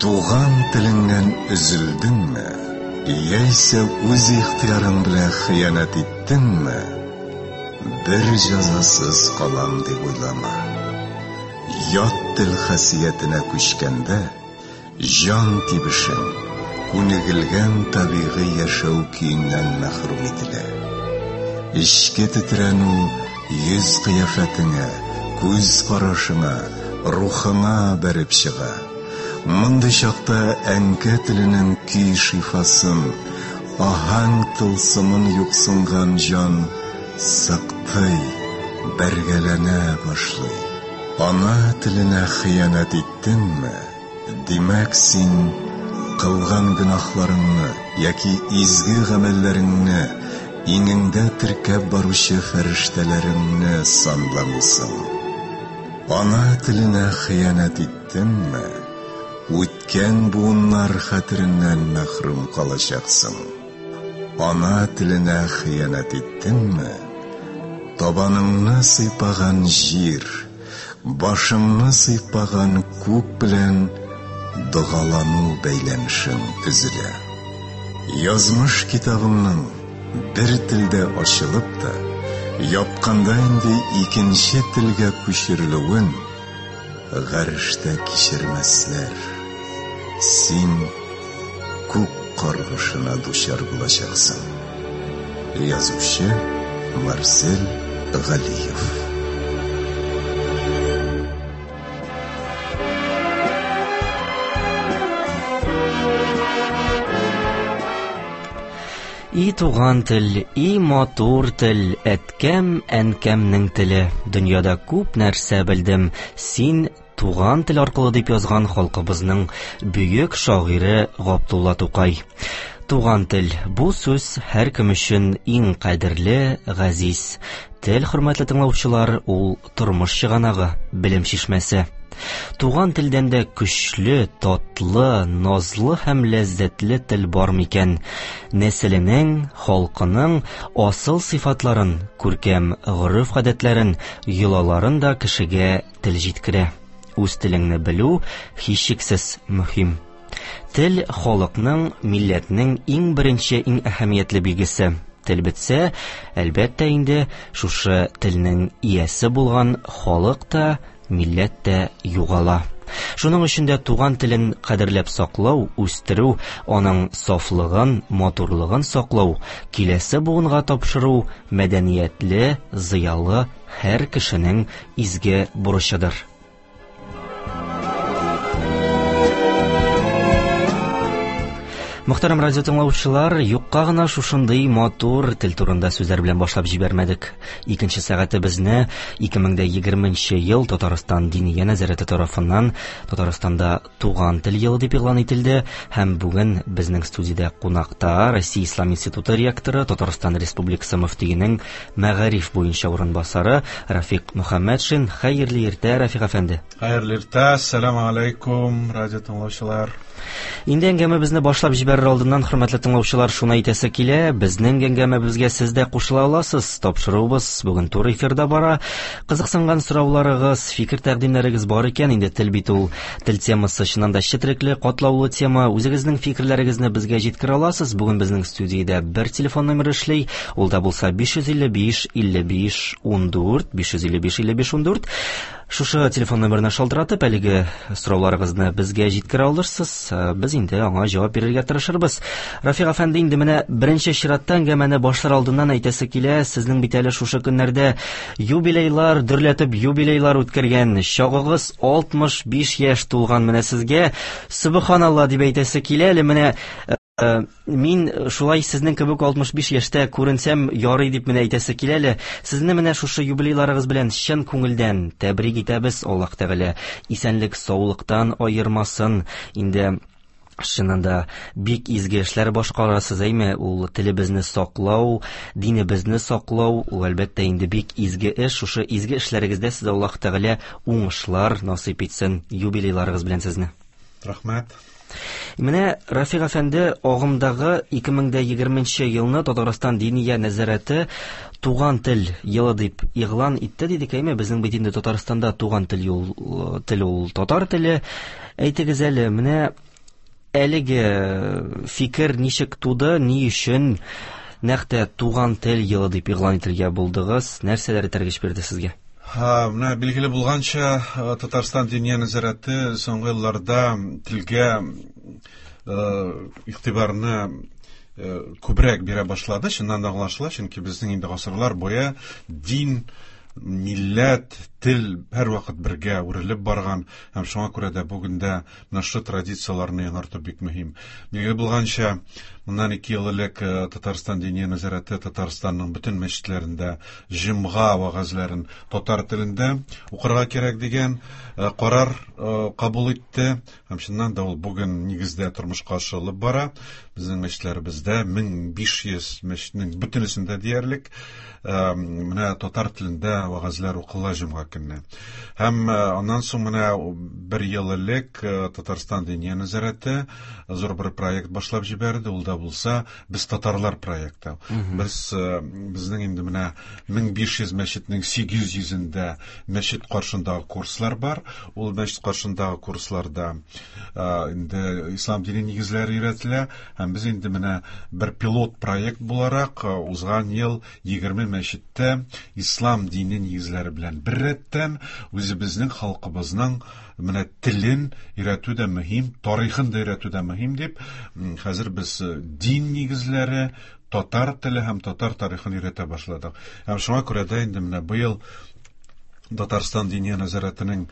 Туган телеңнән өзелдеңме, яисә үз ихтыярың белән хыянәт иттеңме, бер җәзасыз калам дип уйлама. Ят тел хасиятенә күчкәндә, җан тибешең, күнегелгән табигый яшәү көеннән мәхрүм ителә. Эчке тетрәнү йөз кыяфәтеңә, күз карашыңа, рухыңа бәреп чыга. Мондый чакта әнкә теленең көй шифасын, аһәң тылсымын юксынган җан сыктый, бәргәләнә башлый. Ана теленә хыянәт иттеңме, димәк, син кылган гөнаһларыңны яки изге гамәлләреңне иңеңдә теркәп баручы фәрештәләреңне санламыйсың. Ана теленә хыянәт иттеңме, үткән буыннар хәтереннән мәхрүм калачаксың. Ана теленә хыянәт иттеңме, табаныңны сыйпаган җир, башыңны сыйпаган күк белән догалану бәйләнешең өзелә. Язмыш китабыңның бер телдә ачылып та, япканда инде икенче телгә күчерелүен ғарештә кичермәсләр. Син күк каргышына дучар булачаксың. Язучы Марсель Галиев. И туган тел, и матур тел, әткәм, әнкәмнең теле. Дөньяда күп нәрсә белдем. Син туган тел аркылы дип язган халкыбызның бөек шагыйре Габдулла Тукай. Туган тел бу сүз һәркем өчен иң кадерле, газиз. Тел, хөрмәтле тыңлаучылар, ул тормыш чыганагы, белем чишмәсе. Туган телдән дә көчле, татлы, назлы һәм ләззәтле тел бар микән? Нәселенең, халкының асыл сыйфатларын, күркәм гореф-гадәтләрен, йолаларын да кешегә тел җиткерә. Үз телеңне белү һичшиксез мөһим. Тел халыкның, милләтнең иң беренче, иң әһәмиятле билгесе. Тел бетсә, әлбәттә инде, шушы телнең иясе булган халык та, милләт тә югала. Шуның өчен дә туган телен кадерләп саклау, үстерү, аның сафлыгын, матурлыгын саклау, киләсе буынга тапшыру мәдәниятле, зыялы һәр кешенең изге бурычыдыр. Мөхтәрәм радио тыңлаучылар, юкка гына шушындый матур тел турында сүзләр белән башлап җибәрмәдек. Икенче сәгатебезне 2020 ел Татарстан Диния нәзарәте тарафыннан Татарстанда туган тел елы дип игълан ителде һәм бүген безнең студиядә кунакта Россия Ислам институты ректоры, Татарстан Республикасы мөфтиенең мәгариф буенча урынбасары Рафик Мөхәммәтшин. Хәерле иртә, Рафик әфәнде. Хәерле иртә, ассаламу алейкум, радио тыңлаучылар. Инде әңгәмәбезне башлап җибәрер алдыннан, хөрмәтле тыңлаучылар, шуны әйтәсе килә, безнең әңгәмәбезгә сез дә кушыла аласыз. Тапшыруыбыз бүген туры эфирда бара. Кызыксынган сорауларыгыз, фикер-тәкъдимнәрегез бар икән, инде тел бит ул, тел темасы чыннан да четерекле, катлаулы тема. Үзегезнең фикерләрегезне безгә җиткерә аласыз. Бүген безнең студиядә бер телефон номеры эшли, ул да булса 555 55 14, 555 55 14. Шушы телефон номерына шалтыратып, әлеге сорауларыгызны безгә җиткерә алырсыз. Без инде аңа җавап бирергә тырышырбыз. Рафик әфәнде, инде менә беренче чиратта әңгәмәне башлар алдыннан әйтәсе килә, сезнең бит әле шушы көннәрдә юбилейлар, дөрләтеп юбилейлар үткәргән чагыгыз 65 яшь тулган менә сезгә. Сөбханалла дип әйтәсе килә әле менә. Мин шулай сезнең кебек 65 яшьтә күренсәм ярый дип менә әйтәсе килә әле. Сезне менә шушы юбилейларыгыз белән чын күңелдән тәбрик итәбез. Аллаһ Тәгалә исәнлек, саулыктан аермасын. Инде чыннан да бик изге эшләр башкарасыз, әйме? Ул телебезне саклау, динебезне саклау, ул әлбәттә инде бик изге эш. Шушы изге эшләрегездә сезгә Аллаһ Тәгалә уңышлар насыйп итсен юбилейларыгыз белән сезне. Рәхмәт. Менә Рафик әфәнде, агымдагы 2020 елны Татарстан Диния нәзарәте туган тел елы дип игълан итте дидек, әйме? Безнең бит инде Татарстанда туган тел юл, тел ул татар теле. Әйтегез әле, менә Әлеге фикер ничек туды, ни өчен нәкъ тә Туган тел елы дип игълан итергә булдыгыз? Нәрсәләр этәргеч бирде сезгә? Менә билгеле булганча, Татарстан Диния нәзарәте соңгы елларда телгә игътибарны күбрәк бирә башлады. Чыннан да аңлашыла, чөнки безнең инде гасырлар буе дин, милләт, тел һәрвакыт бергә үрелеп барган һәм шуңа күрә дә бүген дә менә шушы традицияләрне яңарту бик мөһим. Билгеле булганча, моннан 2 ел элек Татарстан Диния нәзарәте Татарстанның бөтен мәчетләрендә җомга вәгазьләрен татар телендә укырга кирәк дигән карар кабул итте. Һәм чыннан да ул бүген нигездә тормышка ашырылып бара. Безнең мәчетләребездә 1500 мәчетнең бөтенесендә диярлек менә татар телендә вәгазьләр укыла җомга көнне. Һәм аннан соң менә бер ел элек Татарстан Диния нәзарәте зур бер проект башлап җибәрде. Ул да булса Без татарлар проекты. Без безнең инде менә 1500 мәчетнең 800-ендә мәчет каршындагы курслар бар. Ул мәчет каршындагы курсларда инде ислам дине нигезләре өйрәтелә. Һәм без инде менә бер пилот проект буларак узган ел 20 мәчеттә ислам дине нигезләре белән беррәттән үзебезнең халкыбызның менә телен өйрәтү дә мөһим, тарихын да өйрәтү дә мөһим дип, хәзер без дин нигезләре, татар теле һәм татар тарихын өйрәтә башладык. Һәм шуңа күрә дә инде менә быел Татарстан Диния нәзарәтенең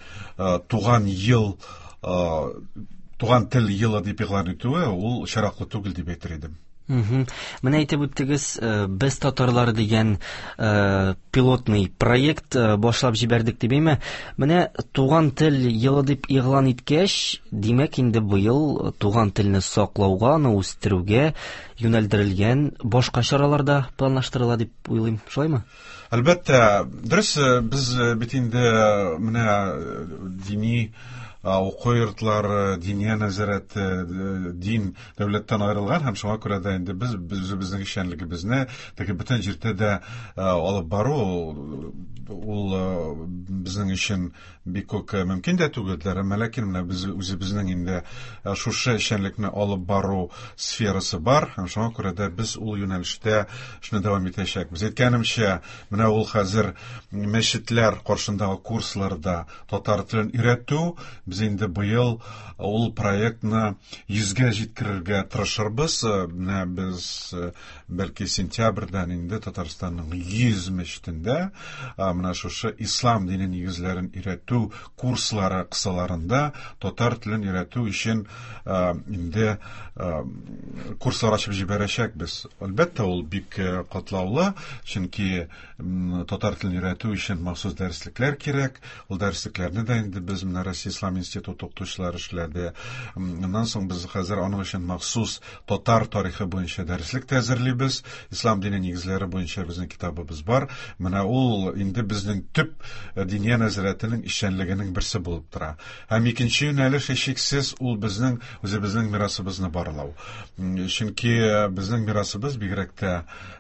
туган ел, туган тел елы дип игълан итүе ул очраклы түгел дип әйтер идем. Менә әйтеп үттегез, без татарлар дигән пилотный проект башлап җибәрдек дип, әйме? Менә туган тел елы дип игълан иткәч, димәк инде быел туган телне саклауга, аны үстерүгә юнәлдерелгән башка чаралар да планлаштырыла дип уйлыйм. Шулаймы? Әлбәттә, дөрес, без бит инде менә дини уку йортлары, диния нәзарәте, дин дәүләттән аерылган һәм шуңа күрә дә инде без үзебезнең эшчәнлегебезне теге бөтен җирдә дә алып бару ул безнең өчен бик үк мөмкин дә түгелдер. Әмма ләкин менә без үзебезнең инде шушы эшчәнлекне алып бару сферасы бар һәм шуңа күрә дә без ул юнәлештә эшне дәвам итәчәкбез. Әйткәнемчә, менә ул хәзер мәчетләр каршындагы курсларда татар телен өйрәтү, без инде быел ул проектны 100гә җиткерергә тырышырбыз. Менә без бәлки сентябрьдән инде Татарстанның 100 мәчетендә менә шушы ислам дине нигезләрен өйрәтү курслары кысаларында татар телен өйрәтү өчен инде курслар ачып җибәрәчәкбез. Әлбәттә, ул бик катлаулы, чөнки татар телен өйрәтү өчен махсус дәреслекләр кирәк. Ул дәреслекләрне дә инде без менә Россия Ислам институты укытучылары эшләде. Аннан соң без хәзер аның өчен махсус татар тарихы буенча дәреслек тә әзерлибез. Ислам дине нигезләре буенча безнең китабыбыз бар. Менә ул инде безнең төп Диния нәзарәтенең эшчәнлегенең берсе булып тора. Һәм икенче юнәлеш һичшиксез ул безнең үзебезнең мирасыбызны барлау. Чөнки безнең мирасыбыз бигрәк тә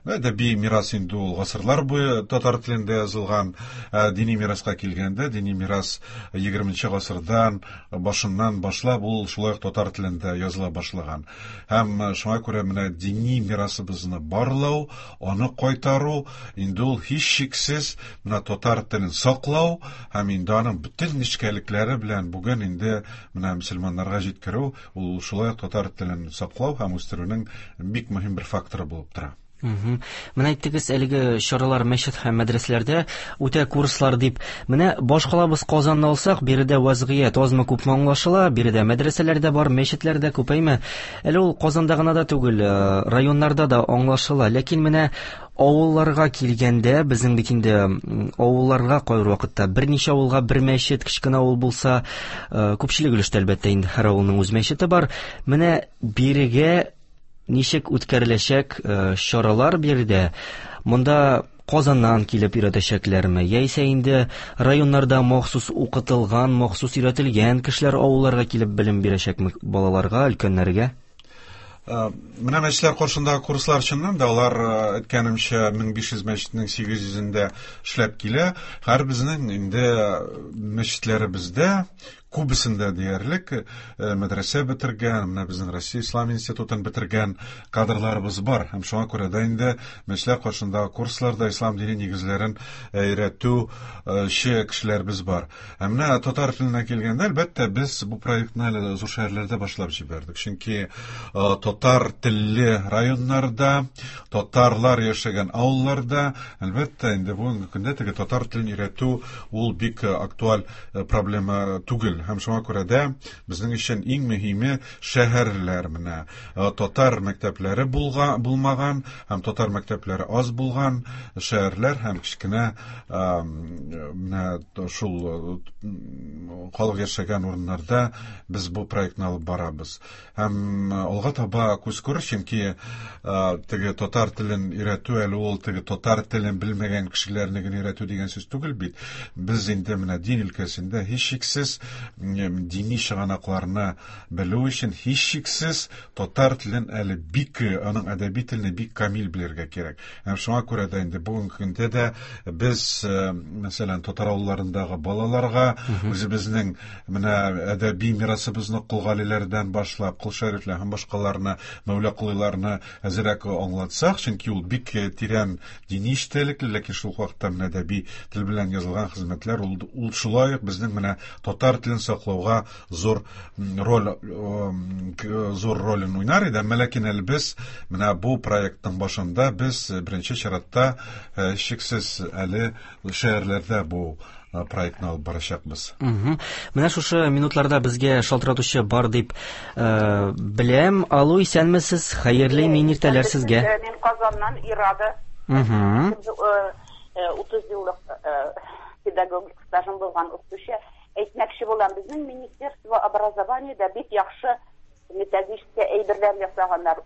әдәби мирас инде ул гасырлар буе татар телендә язылган. Дини мираска килгәндә, дини мирас 20 гасырдан башыннан башлап ул шулай ук татар телендә языла башлаган. Һәм шуңа күрә менә дини мирасыбызны барлау, аны кайтару инде ул һичшиксез менә татар телен саклау һәм инде аның бөтен нечкәлекләре белән бүген инде менә мөселманнарга җиткерү, ул шулай ук татар телен саклау һәм үстерүнең бик мөһим бер факторы булып тора. Менә әйттегез, әлеге чаралар мәчет һәм мәдрәсәләрдә үтә курслар дип. Менә башкалабыз Казанны алсак, биредә вазгыять азмы күпме аңлашыла, биредә мәдрәсәләр дә бар, мәчетләр дә күпәйме. Әле ул Казанда гына да түгел, районнарда да аңлашыла. Ләкин менә авылларга килгәндә, безнең бит инде авылларга кайбер вакытта берничә авылга бер мәчет, кечкенә авыл булса, күпчелек өлештә әлбәттә инде һәр авылның үз мәчете бар. Менә бирегә ничек үткәреләчәк чаралар биредә? Монда Казаннан килеп өйрәтәчәкләрме, яисә инде районнарда махсус укытылган, махсус өйрәтелгән кешеләр авылларга килеп белем бирәчәкме балаларга, өлкәннәргә? Менә мәчетләр каршындагы курслар чыннан да алар, әйткәнемчә, 1500 мәчетнең 800-ендә эшләп килә. Һәр безнең инде мәчетләребездә күбесендә диярлек мәдрәсә бетергән, менә безнең Россия Ислам институтын бетергән кадрларыбыз бар. Һәм шуңа күрә дә инде мәчетләр каршындагы курсларда ислам дине нигезләрен өйрәтүче кешеләребез бар. Ә менә татар теленә килгәндә, әлбәттә, без бу проектны әле зур шәһәрләрдә башлап җибәрдек. Чөнки татар телле районнарда, татарлар яшәгән авылларда, әлбәттә, инде бүгенге көндә теге татар телен өйрәтү ул бик актуаль проблема түгел. Һәм шуңа күрә дә безнең өчен иң мөһиме шәһәрләр менә татар мәктәпләре булга, булмаган һәм татар мәктәпләре аз булган шәһәрләр һәм кечкенә менә шул халык яшәгән урыннарда без бу проектны алып барабыз. Һәм алга таба күз күрер, чөнки теге татар телен өйрәтү әле ул теге татар телен белмәгән кешеләрне генә өйрәтү дигән сүз түгел бит. Без инде менә дин өлкәсендә һичшиксез дини чыганакларны белү өчен һичшиксез татар телен әле бик, аның әдәби телне бик камил белергә кирәк. Һәм шуңа күрә дә инде бүгенге көндә дә без, мәсәлән, татар авылларындагы балаларга үзебезнең менә әдәби мирасыбызны Кол Галиләрдән башлап, Кол Шәрифләр һәм башкаларны, Мәүла Колыйларны әзрәк аңлатсак, чөнки ул бик тирән дини эчтәлекле, ләкин шул ук вакытта менә әдәби тел белән язылган хезмәтләр ул, ул шулай ук безнең менә татар телен саклауга зур роль зур ролен уйнар иде. Әмма ләкин әле без менә бу проектның башында без беренче чиратта шиксез әле шәһәрләрдә бу проектны алып барачакбыз. Менә шушы минутларда безгә шалтыратучы бар дип беләм. Алло, исәнмесез. Хәерле мин иртәләр сезгә. Мин Казаннан Ирада. 30 еллык педагогик стажым булган укытучы. Әйтмәкче булам, безнең Министерство образованиедә бик яхшы методический әйберләр ясаганнар.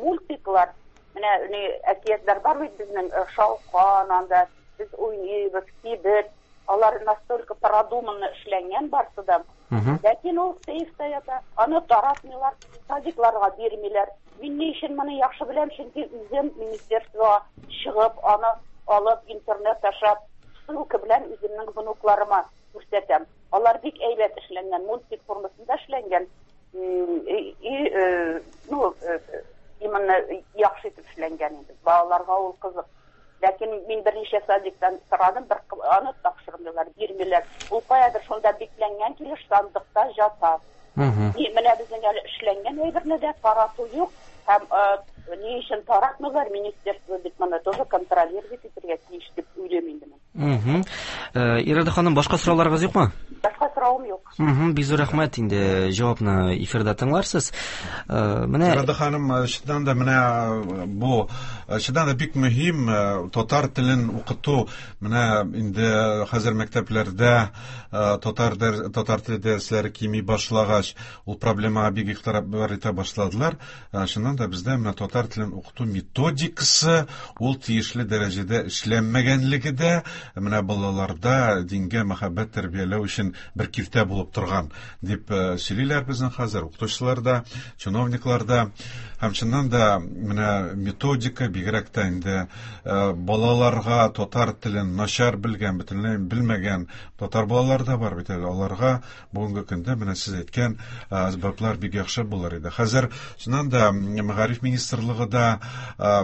Мультиклар, менә ни әкиятләр бар бит безнең, Шалкан анда, без уйныйбыз, кибет. Алар настолько продуманно эшләнгән барсы да. Ләкин ул сейфта ята, аны таратмыйлар, садикларга бирмиләр. Мин ни өчен моны яхшы беләм, чөнки үзем министерствога чыгып, аны алып, интернет аша ссылка белән үземнең внукларыма күрсәтәм. Алар бик әйбәт эшләнгән, мультик формасында эшләнгән. И, ну, именно яхшы итеп эшләнгән инде. Балаларга ул кызык. Ләкин мин берничә садиктан сорадым, бер аны тапшырмыйлар, бирмиләр. Ул каядыр шунда бикләнгән килеш сандыкта ята. И менә безнең әле эшләнгән әйберне дә тарату юк. Һәм ни өчен таратмыйлар, министерство бит моны тоже контролировать итәргә тиеш дип уйлыйм инде мин. Ирада ханым, башка сорауларыгыз юкмы? Башка соравым юк. Бик зур рәхмәт, инде җавапны эфирда тыңларсыз. Менә Ирада ханым, чыннан да менә бу чыннан да бик мөһим татар телен укыту. Менә инде хәзер мәктәпләрдә татар татар теле дәресләре кими башлагач, ул проблемага бик игътибар итә башладылар. Чыннан да бездә менә татар телен укыту методикасы ул тиешле дәрәҗәдә эшләнмәгәнлеге дә менә балаларда дингә мәхәббәт тәрбияләү өчен бер киртә булып торган дип сөйлиләр безнең хәзер укытучылар да, чиновниклар да. Һәм чыннан да менә методика бигрәк тә инде балаларга татар телен начар белгән, бөтенләй белмәгән татар балалары да бар бит әле. Аларга Бүгенге көндә менә сез әйткән әсбаплар бик яхшы булыр иде. Хәзер чыннан да мәгариф министрлыгы да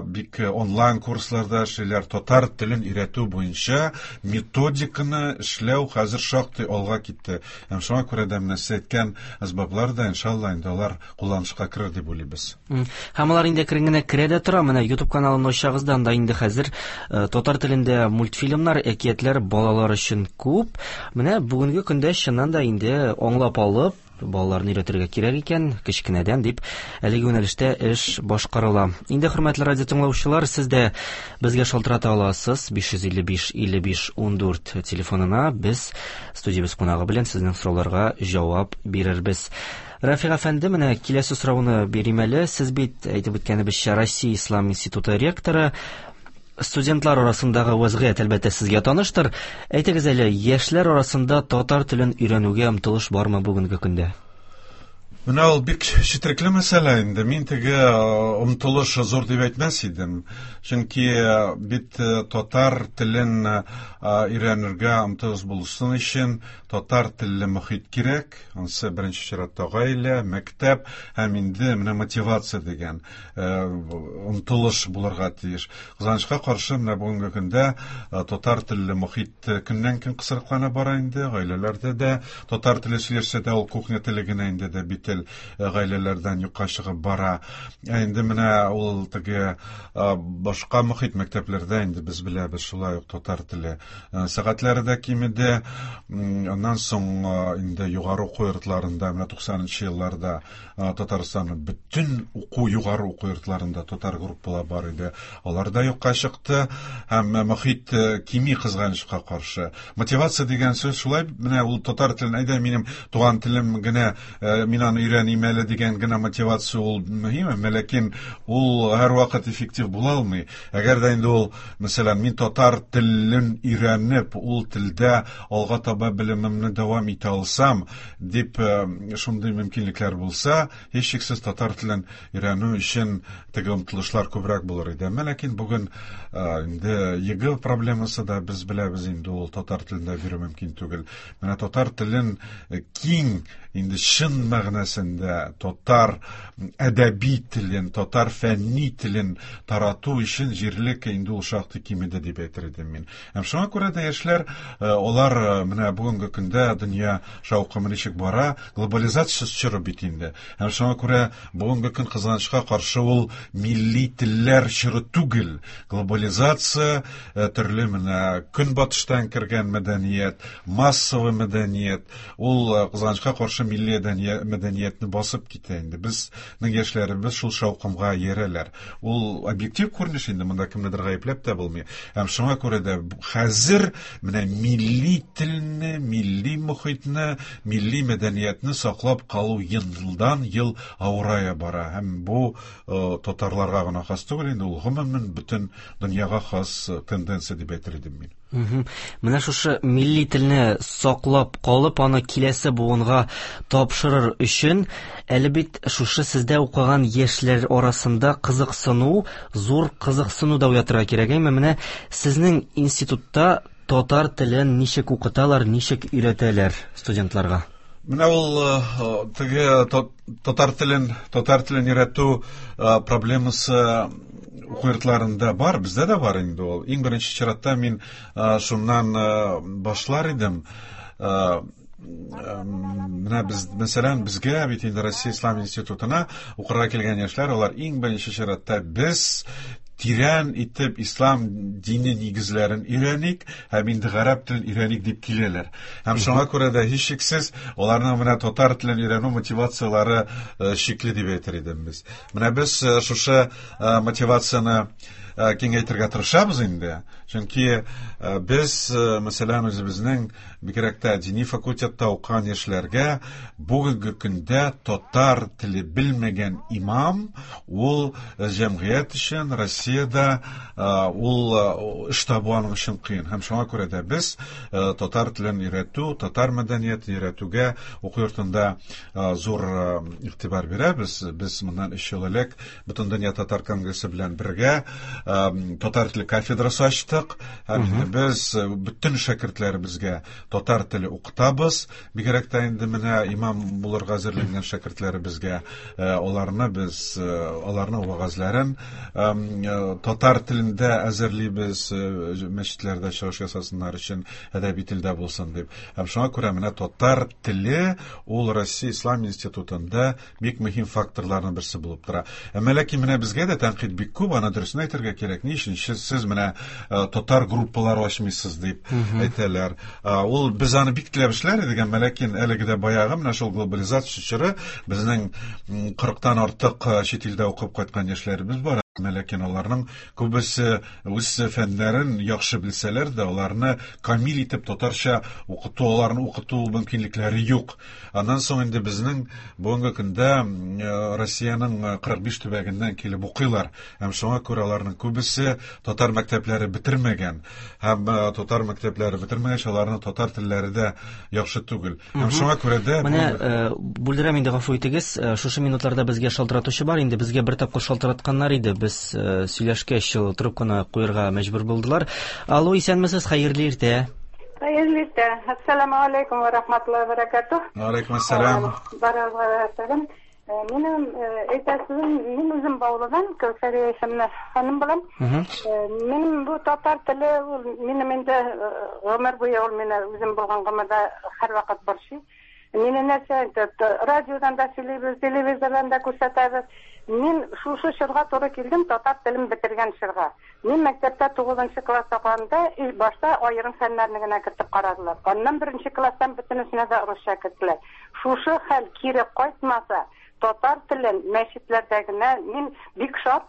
бик онлайн курсларда эшлиләр. Татар телен өйрәтү буенча методиканы эшләү хәзер шактый алга китте. Һәм шуңа күрә дә менә сез әйткән әсбаплар да иншалла инде алар кулланышка керер дип уйлыйбыз. Һәм алар инде әкрен генә керә дә тора. Менә YouTube каналын ачсагыз да, анда инде хәзер э, татар телендә мультфильмнар, әкиятләр балалар өчен күп. Менә бүгенге көндә чыннан да инде аңлап алып, балаларны өйрәтергә кирәк икән, кечкенәдән дип әлеге юнәлештә эш башкарыла. Инде хөрмәтле радио тыңлаучылар, сез дә безгә шалтырата аласыз 555 55 14 телефонына. Без студиябез кунагы белән сезнең сорауларга җавап бирербез. Рафик әфәнде, менә киләсе сорауны бирим әле. Сез бит, әйтеп үткәнебезчә, Россия Ислам институты ректоры. Студентлар арасындагы вәзгыять, әлбәттә, сезгә таныштыр. Әйтегез әле, яшьләр арасында татар телен өйрәнүгә омтылыш бармы бүгенге көндә? Менә ул бик четерекле мәсьәлә инде. Мин теге омтылыш зур дип әйтмәс идем. Чөнки бит татар телен өйрәнергә омтылыш булсын өчен татар телле мохит кирәк. Ансы беренче чиратта гаилә, мәктәп һәм инде менә мотивация дигән омтылыш булырга тиеш. Кызганычка каршы, менә бүгенге көндә татар телле мохит көннән-көн кысрыклана бара инде, гаиләләрдә дә татар теле сөйләшсә дә ул кухня теле генә инде дә бит тел гаиләләрдән юкка чыгып бара. Ә инде менә ул теге башка мохит мәктәпләрдә инде без беләбез, шулай ук татар теле сәгатьләре дә кимеде. Аннан соң инде югары уку йортларында менә 90 елларда Татарстанның бөтен уку югары уку йортларында татар группалар бар иде. Алар да юкка чыкты һәм мохит кими кызганычка каршы. Мотивация дигән сүз шулай менә ул татар телен әйдә минем туган телем генә мин аны өйрәним әле дигән генә мотивация ул мөһим, әмма ләкин ул һәрвакыт эффектив була алмый. Әгәр дә инде ул, мәсәлән, мин татар телен өйрәнеп, ул телдә алга таба белемемне дәвам итә алсам, дип шундый мөмкинлекләр булса, һичшиксез татар телен өйрәнү өчен теге омтылышлар күбрәк булыр иде. Әмма ләкин бүген инде ЕГЭ проблемасы да без беләбез инде ул татар телендә бирү мөмкин түгел. Менә татар телен киң инде чын мәгънәсендә татар әдәби телен, татар фәнни телен тарату өчен җирлек инде ул шактый кимеде дип әйтер идем мин. Һәм шуңа күрә дә яшьләр, алар менә бүгенге көндә дөнья шаукымы ничек бара, глобализация чоры бит инде. Һәм шуңа күрә бүгенге көн кызганычка каршы ул милли телләр чоры түгел. Глобализация, төрле менә көнбатыштан кергән мәдәният, массовый мәдәният, ул кызганычка каршы милли мәдәниятне басып китә инде. Безнең яшьләребез шул шаукымга иярәләр. Ул объектив күренеш инде, монда кемнедер гаепләп тә булмый. Һәм шуңа күрә дә хәзер менә милли телне, милли мохитне, милли мәдәниятне саклап калу елдан ел авырая бара. Һәм бу татарларга гына хас түгел инде, ул гомумән бөтен дөньяга хас тенденция дип әйтер идем мин. Менә шушы милли телне саклап калып, аны киләсе буынга тапшырыр өчен, әле бит шушы сездә укыган яшьләр арасында кызыксыну, зур кызыксыну да уятырга кирәк. Әмма менә сезнең институтта татар телен ничек укыталар, ничек өйрәтәләр студентларга? Менә ул теге татар телен, татар телен өйрәтү проблемасы уку йортларында бар, бездә дә бар инде ул. Иң беренче чиратта мин шуннан башлар идем. Менә без, мәсәлән, безгә бит инде Россия Ислам институтына укырга килгән яшьләр, алар иң беренче чиратта без тирән итеп ислам дине нигезләрен өйрәник һәм инде гарәп телен өйрәник дип киләләр. Һәм шуңа күрә дә һичшиксез аларның менә татар телен өйрәнү мотивацияләре шикле дип әйтер идем без. Менә без шушы мотивацияне киңәйтергә тырышабыз инде. Чөнки без, мәсәлән, үзебезнең бигрәк тә дини факультетта укыган яшьләргә бүгенге көндә татар теле белмәгән имам ул җәмгыять өчен Россиядә ул эш табу аның өчен кыен. Һәм шуңа күрә дә без татар телен өйрәтү, татар мәдәниятен өйрәтүгә уку йортында зур игътибар бирәбез. Без моннан 3 ел элек Бөтендөнья татар конгрессы белән бергә татар теле кафедрасы ачтык. Һәм инде без бөтен шәкертләребезгә татар теле укытабыз. Бигрәк тә инде менә имам булырга әзерләнгән шәкертләребезгә аларны без аларның вәгазьләрен татар телендә әзерлибез, мәчетләрдә чыгыш ясасыннар өчен әдәби телдә булсын дип. Һәм шуңа күрә менә татар теле ул Россия Ислам институтында бик мөһим факторларның берсе булып тора. Әмма ләкин менә безгә дә тәнкыйть бик күп, аны дөресен әйтергә кирәк. Ни өчен сез менә татар группалары ачмыйсыз дип әйтәләр. Ул без аны бик теләп эшләр идек, әмма ләкин әлеге дә баягы менә шул глобализация чоры безнең 40-тан артык чит илдә укып кайткан яшьләребез бар. Ләкин аларның күбесе үз фәннәрен яхшы белсәләр дә, аларны камил итеп татарча укыту, аларны укыту мөмкинлекләре юк. Аннан соң инде безнең бүгенге көндә Россиянең 45 төбәгеннән килеп укыйлар. Һәм шуңа күрә аларның күбесе татар мәктәпләре бетермәгән. Һәм татар мәктәпләре бетермәгәч, аларның татар телләре дә яхшы түгел. Һәм шуңа күрә дә Менә бүлдерәм инде, гафу итегез. Шушы минутларда безгә шалтыратучы бар инде. Безгә бер тапкыр шалтыратканнар иде. Без сөйләшкәч, трубканы куярга мәҗбүр булдылар. Алло, исәнмесез, хәерле иртә. Хәерле иртә. Ассаламу алейкум ва рахматуллаһи ва баракатух. Алейкум ассалам. Барыгызга сәлам. Минем әйтәсем, мин үзем Баулыдан, Кәүсәрия исемле ханым булам. Минем бу татар теле ул минем инде гомер буе ул мине үзем булган гомердә һәрвакыт борчый. Мине нәрсә инде радиодан да сөйлибез, телевизордан да күрсәтәбез. Мин шушы чорга туры килдем, татар телен бетергән чорга. Мин мәктәптә тугызынчы класста укыганда, башта аерым фәннәрне генә кертеп карадылар. Аннан беренче класстан бөтенесенә дә русча керттеләр. Шушы хәл кире кайтмаса, татар телен мәчетләрдә генә, мин бик шат,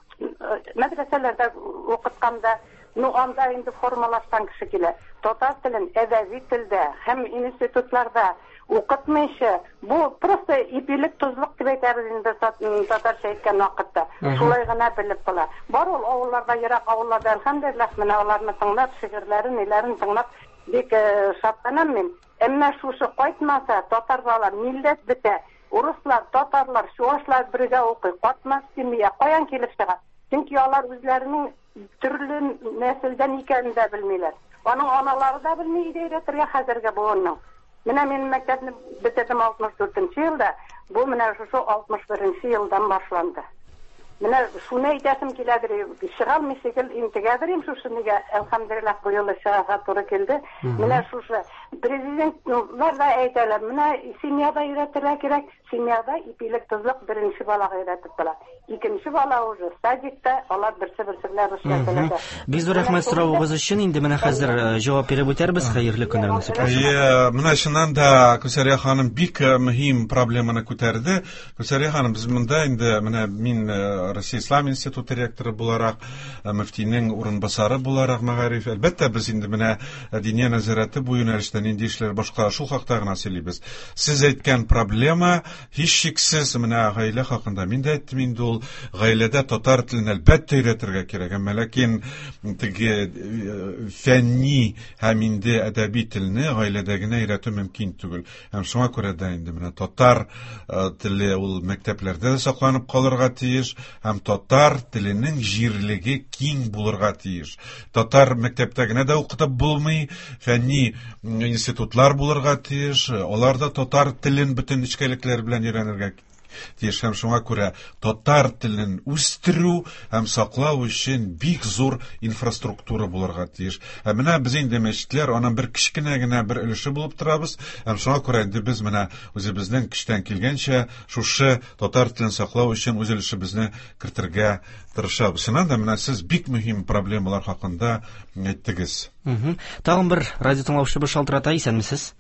мәдрәсәләрдә укытканда, ну анда инде формалашкан кеше килә. Татар телен әдәби телдә һәм институтларда укытмыйча, бу просто ипилек, тозлык дип әйтәбез инде татарча әйткән вакытта. Шулай гына белеп була. Бар ул авылларда, ерак авылларда, әлхәмдүлилләһ, менә аларны тыңлап, шигырьләрен, ниләрен тыңлап бик шатланам мин. Әмма шушы кайтмаса, татар балалар, милләт бетә. Урыслар, татарлар, чуашлар бергә укый. Катнаш семья каян килеп чыга? Чөнки алар үзләренең төрле нәселдән икәнен дә белмиләр. Аның аналары да белми өйдә өйрәтергә хәзерге буынның. Менә мин мәктәпне бетердем 64 нче елда, бу менә шушы 61 нче елдан башланды. Менә шуны әйтәсем киләдер, чыга алмыйча гел интегәдер им шушы нигә, әлхәмдүлилләһ, бу юлы чыгарга туры килде. Менә шушы президентлар да әйтәләр, менә семьяда өйрәтергә кирәк, семьяда ипилек тозлык беренче балага өйрәтеп була. Икенче бала уже садикта, алар берсе-берсе белән русча сөйләшә. Бик зур рәхмәт соравыгыз өчен. Инде менә хәзер җавап биреп үтәрбез. Хәерле көннәр насыйп булсын. Әйе, менә чыннан да Гүзәлия ханым бик мөһим проблеманы күтәрде. Гүзәлия ханым, без монда инде менә мин Россия Ислам институты ректоры буларак, мөфтинең урынбасары буларак мәгариф, әлбәттә, без инде менә Диния нәзарәте бу юнәлештә нинди эшләр башкара, шул хакта гына сөйлибез. Сез әйткән проблема Һичшиксез, менә гаилә хакында мин дә әйттем инде ул, гаиләдә татар телен әлбәттә өйрәтергә кирәк, әмма ләкин теге э, фәнни һәм инде әдәби телне гаиләдә генә өйрәтү мөмкин түгел. Һәм шуңа күрә дә инде менә татар э, теле ул мәктәпләрдә дә сакланып калырга тиеш һәм татар теленең җирлеге киң булырга тиеш. Татар мәктәптә генә дә укытып булмый, фәнни институтлар булырга тиеш, алар да татар телен бөтен нечкәлекләре белән өйрәнергә тиеш һәм шуңа күрә татар телен үстерү һәм саклау өчен бик зур инфраструктура булырга тиеш. Ә менә без инде мәчетләр аның бер кечкенә генә бер өлеше булып торабыз һәм шуңа күрә инде без менә үзебезнең көчтән килгәнчә шушы татар телен саклау өчен үз өлешебезне кертергә тырышабыз. Чыннан да менә сез бик мөһим проблемалар хакында әйттегез. Тагын бер радио тыңлаучыбыз шалтырата. Исәнмесез.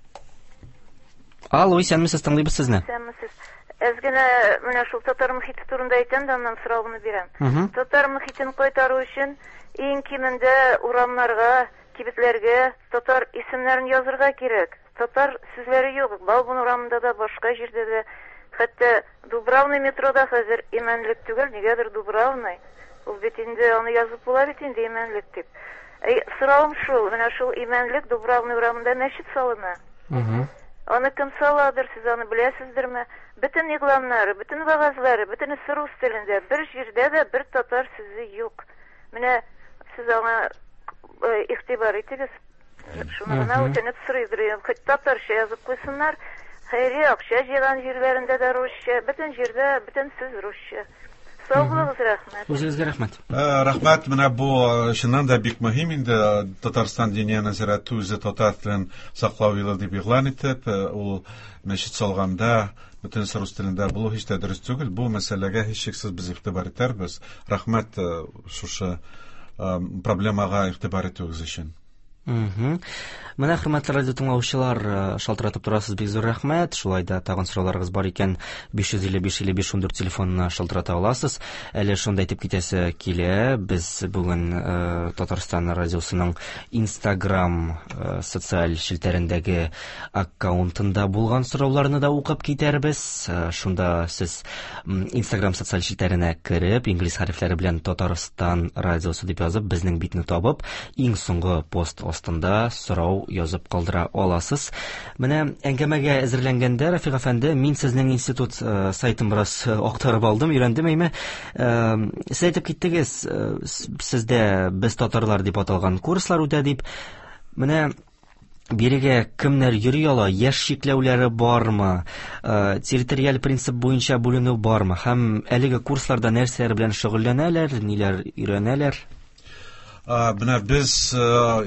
Алло, исәнмесез, тыңлыйбыз сезне. Исәнмесез. Әз генә менә шул татар мөхите турында әйтәм дә, аннан соравымны бирәм. Татар мөхитен кайтару өчен иң кимендә урамнарга, кибетләргә татар исемнәрен язырга кирәк. Татар сүзләре юк. Бауман урамында да, башка җирдә дә. Хәтта Дубравный метрода хәзер Имәнлек түгел, нигәдер Дубравный. Ул бит инде, аны язып була бит инде Имәнлек дип. Әй, соравым шул, менә шул Имәнлек Дубравный урамында мәчет салына. Аны кем саладыр, сез аны беләсездерме? Бөтен игъланнары, бөтен вәгазьләре, бөтенесе рус телендә. Бер җирдә дә бер татар сүзе юк. Менә сез аңа игътибар итегез. Шуны гына үтенеп сорыйдыр идем. Хоть татарча язып куйсыннар. Хәйрия акча җыйган җирләрендә дә русча, бөтен җирдә бөтен сүз русча. Сау булыгыз, рәхмәт. Үзегезгә рәхмәт. Э, рәхмәт, менә бу э, чыннан да бик мөһим инде э, Татарстан Диния нәзарәте үзе татар телен саклау елы дип игълан итеп, ул мәчет салганда бөтенесе рус телендә булу һич тә дөрес түгел. Бу мәсьәләгә һичшиксез без игътибар итәрбез. Рәхмәт шушы проблемага игътибар итүегез өчен. Менә, хөрмәтле радио тыңлаучылар, шалтыратып торасыз, бик зур рәхмәт. Шулай да тагын сорауларыгыз бар икән, 555 55 14 телефонына шалтырата аласыз. Әле шунда әйтеп китәсе килә, без бүген Татарстан радиосының Instagram социаль челтәрендәге аккаунтында булган сорауларны да укып китәрбез. Шунда сез Instagram социаль челтәренә кереп, инглиз хәрефләре белән Татарстан радиосы дип язып, безнең битне табып, иң соңгы пост астында сорау язып калдыра аласыз. Менә әңгәмәгә әзерләнгәндә, Рафик әфәнде, мин сезнең институт сайтын бераз актарып алдым, өйрәндем әйме. Сез әйтеп киттегез, сездә без татарлар дип аталган курслар үтә дип. Менә бирегә кемнәр йөри ала, яшь чикләүләре бармы, территориаль принцип буенча бүленү бармы һәм әлеге курсларда нәрсәләр белән шөгыльләнәләр, ниләр өйрәнәләр? Менә без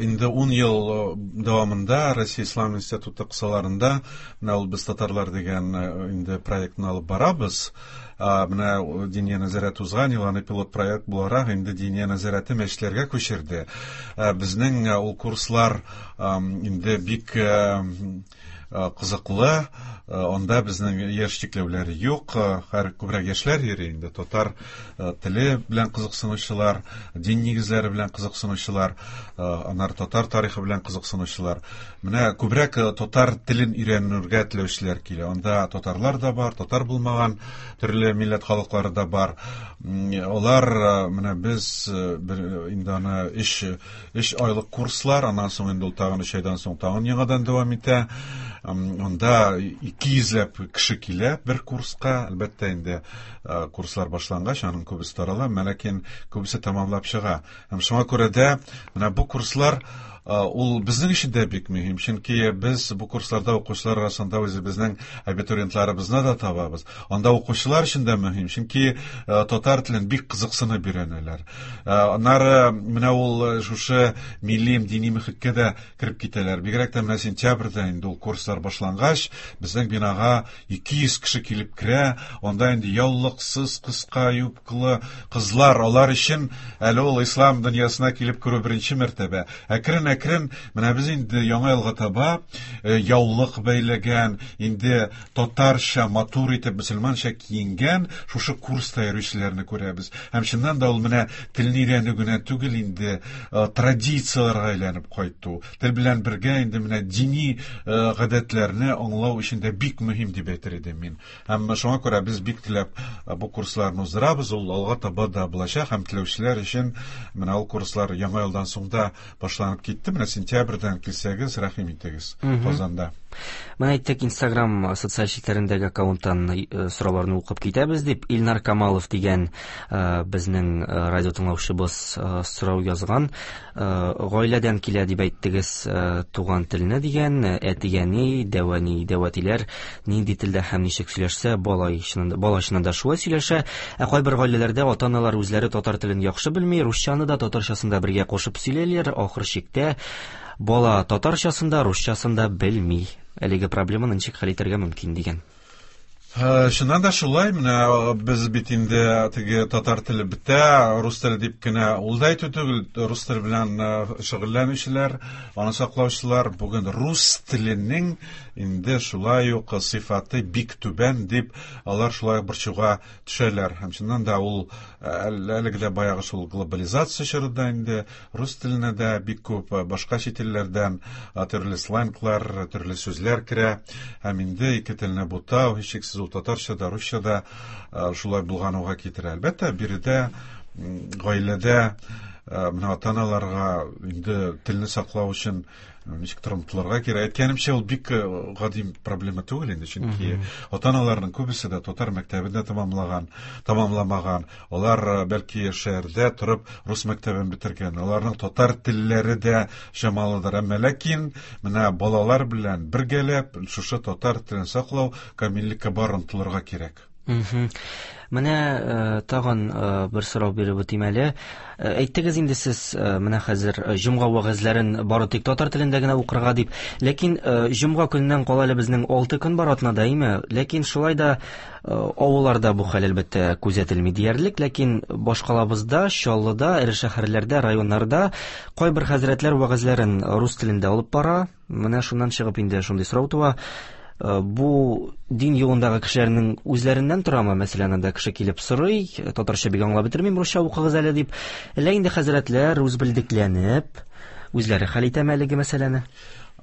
инде 10 ел дәвамында Россия Ислам институты кысаларында менә ул без татарлар дигән инде проектны алып барабыз. Менә Диния нәзарәте узган ел аны пилот проект буларак инде Диния нәзарәте мәчетләргә күчерде. Безнең ул курслар инде бик кызыклы. Анда безнең яшь чикләүләре юк. Һәр күбрәк яшьләр йөри инде. Татар теле белән кызыксынучылар, дин нигезләре белән кызыксынучылар, аннары татар тарихы белән кызыксынучылар. Менә күбрәк татар телен өйрәнергә теләүчеләр килә. Анда татарлар да бар, татар булмаган төрле милләт халыклары да бар. Алар менә без инде аны 3 айлык курслар, аннан соң инде ул тагын 3 айдан соң тагын яңадан дәвам итә. Анда 200 ләп кеше килә бер курска. Әлбәттә инде курслар башлангач, аның күбесе тарала, ләкин күбесе тәмамлап чыга. Һәм шуңа күрә дә менә бу курслар ул безнең өчен дә бик мөһим, чөнки без бу курсларда укучылар арасында үзебезнең абитуриентларыбызны да табабыз. Анда укучылар өчен дә мөһим, чөнки татар телен бик кызыксынып өйрәнәләр. Аннары менә ул шушы милли дини мөхиткә дә кереп китәләр. Бигрәк тә менә сентябрьдә инде ул курслар башлангач, безнең бинага 200 кеше килеп керә. Анда инде яулыксыз, кыска юбкалы кызлар, алар өчен әле ул ислам дөньясына килеп керү беренче мәртәбә. Әкрен-әкрен менә без инде яңа елга таба яулык бәйләгән, инде татарча матур итеп мөселманча киенгән шушы курста йөрүчеләрне күрәбез. Һәм чыннан да ул менә телне өйрәнү генә түгел инде, традицияләргә әйләнеп кайту. Тел белән бергә инде менә дини гадәтләрне аңлау өчен дә бик мөһим дип әйтер идем мин. Һәм шуңа күрә без бик теләп бу курсларны уздырабыз, ул алга таба да булачак һәм теләүчеләр өчен менә ул курслар яңа елдан соң да башланып китте. Менә сентябрьдән килсәгез, рәхим итегез Казанда. Менә әйттек, Instagram социаль челтәрендәге аккаунттан сорауларны укып китәбез дип, Илнар Камалов дигән безнең радио тыңлаучыбыз сорау язган. Гаиләдән килә дип әйттегез туган телне дигән, әти-әни, дәү-әни, дәү-әтиләр нинди телдә һәм ничек сөйләшсә, бала чыннан да шулай сөйләшә. Ә кайбер гаиләләрдә ата-аналар үзләре татар телен яхшы белми, русчаны да, татарчасын да бергә кушып сөйләйләр. Ахыр чиктә бала татарчасын да, русчасын да белми. Әлеге проблеманы ничек хәл итәргә мөмкин дигән. Чыннан да шулай, менә без бит инде теге татар теле бетә, рус теле дип кенә ул да әйтү түгел, рус теле белән шөгыльләнүчеләр, аны саклаучылар бүген рус теленең инде шулай ук сыйфаты бик түбән дип алар шулай ук борчуга төшәләр. Һәм чыннан да ул әлеге дә баягы шул глобализация чорында инде рус теленә дә бик күп башка чит илләрдән төрле сленглар, төрле сүзләр керә. Һәм инде ике телне бутау, һичшиксез ул татарча да, русча да шулай булгануга китерә. Әлбәттә, биредә гаиләдә менә ата-аналарга инде телне саклау өчен ничектер омтылырга кирәк. Әйткәнемчә, ул бик гади проблема түгел инде, чөнки ата-аналарның күбесе дә татар мәктәбен дә тәмамламаган. Алар бәлки шәһәрдә торып рус мәктәбен бетергән. Аларның татар телләре дә чамалыдыр. Әмма ләкин менә балалар белән бергәләп шушы татар телен саклау, камиллеккә бар омтылырга кирәк. Менә тагын бер сорау биреп үтим әле. Әйттегез инде сез менә хәзер җомга вәгазьләрен бары тик татар телендә генә укырга дип. Ләкин җомга көненнән кала әле безнең 6 көн бар атнада, әйме? Ләкин шулай да авылларда бу хәл әлбәттә күзәтелми диярлек, ләкин башкалабызда, Чаллыда, эре шәһәрләрдә, районнарда кайбер хәзрәтләр вәгазьләрен рус телендә алып бара. Менә шуннан чыгып инде шундый сорау туа. Бу дин юлындагы кешеләрнең үзләреннән торамы? Мәсәлән, анда кеше килеп сорый, татарча бик аңлап бетермим, русча укыгыз әле дип. Әллә инде хәзрәтләр үз белдекләнеп, үзләре хәл итәме әлеге мәсьәләне?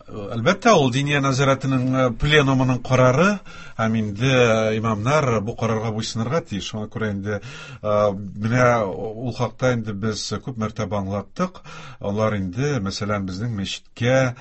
Әлбәттә, ул Диния нәзарәтенең пленумының карары, һәм инде имамнар бу карарга буйсынырга тиеш. Шуңа күрә инде менә ул хакта инде без күп мәртәбә аңлаттык. Алар инде, мәсәлән, безнең мәчеткә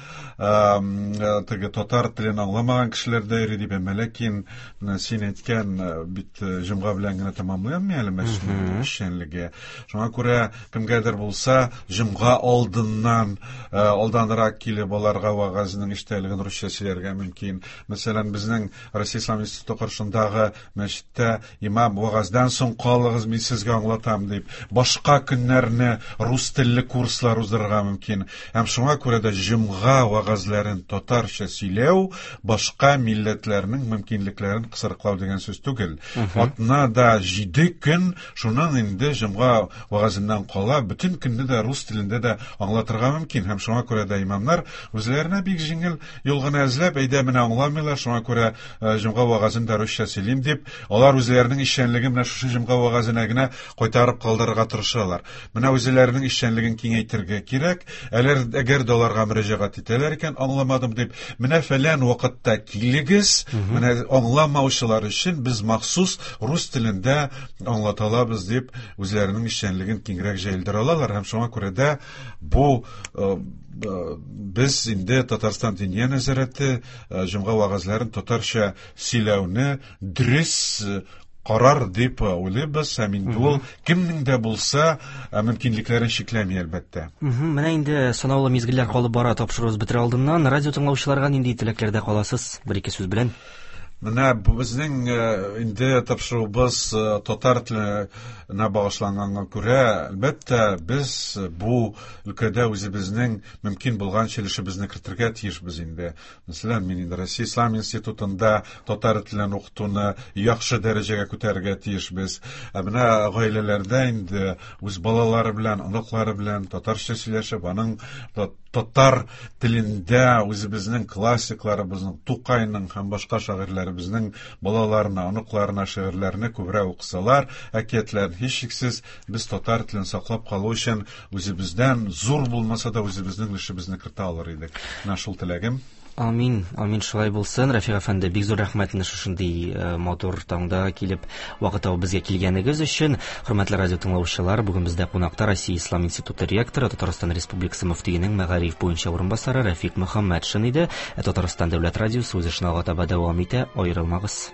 теге татар телен аңламаган кешеләр дә йөри дип, әмма ләкин менә син әйткән бит җомга белән генә тәмамланмый әле мәчетнең эшчәнлеге. Шуңа күрә кемгәдер булса җомга алдыннан алданрак килеп аларга вәгазьнең эчтәлеген русча сөйләргә мөмкин. Мәсәлән, безнең Россия Ислам институты каршындагы мәчеттә имам вәгазьдән соң калыгыз, мин сезгә аңлатам дип, башка көннәрне рус телле курслар уздырырга мөмкин. Һәм шуңа күрә дә җомга вәгазьләрен татарча сөйләү башка милләтләрнең мөмкинлекләрен кысрыклау дигән сүз түгел. Атнада 7 көн, шуннан инде җомга вәгазеннән кала бөтен көнне дә рус телендә дә аңлатырга мөмкин. Һәм шуңа күрә дә имамнар үзләренә бик җиңел юл гына эзләп, әйдә менә аңламыйлар, шуңа күрә җомга вәгазен дә русча сөйлим дип, алар үзләренең эшчәнлеген менә шушы җомга вәгазенә генә кайтарып калдырырга тырышалар. Менә үзләренең эшчәнлеген киңәйтергә кирәк. Әләр әгәр дә аларга мөрәҗәгать итәләр икән, аңламадым дип, менә фәлән вакытта килегез, менә аңламаучылар өчен без махсус рус телендә аңлата алабыз дип, үзләренең эшчәнлеген киңрәк җәелдерә алалар һәм шуңа күрә дә бу без инде Татарстан Диния нәзарәте җомга вәгазьләрен татарча сөйләүне дөрес карар дип уйлыйбыз һәм инде ул кемнең дә булса мөмкинлекләрен чикләми, әлбәттә. Менә инде санаулы мизгелләр калып бара тапшыруыбыз бетерә алдыннан. Радио тыңлаучыларга нинди теләкләрдә каласыз? Бер-ике сүз белән. Менә безнең инде тапшыруыбыз татар теленә багышланганга күрә, әлбәттә, без бу өлкәдә үзебезнең мөмкин булганча өлешебезне кертергә тиешбез инде. Мәсәлән, мин инде Россия Ислам институтында татар телен укытуны яхшы дәрәҗәгә күтәрергә тиешбез. Ә менә гаиләләрдә инде үз балалары белән, оныклары белән татарча сөйләшеп, аның татар телендә үзебезнең классикларыбызның, Тукайның һәм башка шагыйрьләребезнең балаларына, оныкларына шигырьләрне күбрәк укысалар, әкиятләрен, һичшиксез, без татар телен саклап калу өчен үзебездән зур булмаса да үзебезнең өлешебезне кертә алыр идек. Менә шул теләгем. Амин, амин, шулай булсын. Рафик әфәнде, бик зур рәхмәт менә шушындый матур таңда килеп, вакыт табып безгә килгәнегез өчен. Хөрмәтле радио тыңлаучылар, бүген бездә кунакта Россия Ислам институты ректоры, Татарстан Республикасы мөфтиенең мәгариф буенча урынбасары Рафик Мөхәммәтшин иде. Ә Татарстан дәүләт радиосы үз эшен алга таба дәвам итә. Аерылмагыз.